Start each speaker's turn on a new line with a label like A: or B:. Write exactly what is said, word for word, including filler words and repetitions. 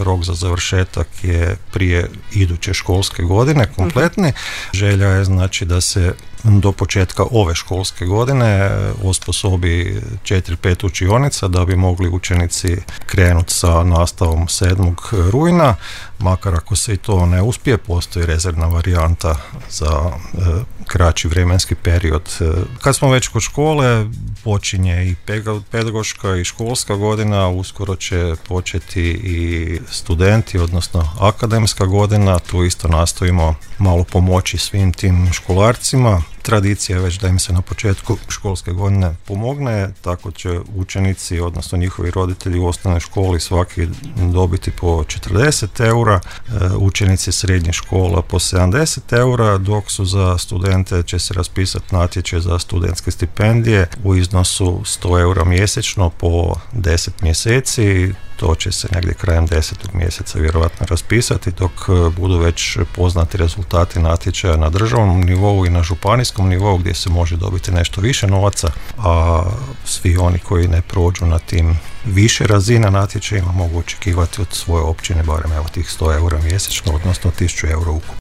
A: rok za završetak je prije iduće školske godine kompletni. Želja je znači da se do početka ove školske godine osposobi četiri pet učionica da bi mogli učenici krenuti sa nastavom sedmog rujna. Makar ako se i to ne uspije, postoji rezervna varijanta za e, kraći vremenski period. Kad smo već kod škole, počinje i pedagoška i školska godina, uskoro će početi i studenti, odnosno akademska godina. Tu isto nastojimo malo pomoći svim tim školarcima. Tradicija je već da im se na početku školske godine pomogne, tako će učenici, odnosno njihovi roditelji u osnovnoj školi svaki dobiti po četrdeset eura, učenici srednjih škola po sedamdeset eura, dok su za studente će se raspisati natječaj za studentske stipendije u iznosu sto eura mjesečno po deset mjeseci. To će se negdje krajem desetog mjeseca vjerojatno raspisati, dok budu već poznati rezultati natječaja na državnom nivou i na županijskom nivou gdje se može dobiti nešto više novaca, a svi oni koji ne prođu na tim više razina natječajima mogu očekivati od svoje općine barem evo tih sto eura mjesečno, odnosno tisuću eura ukupno.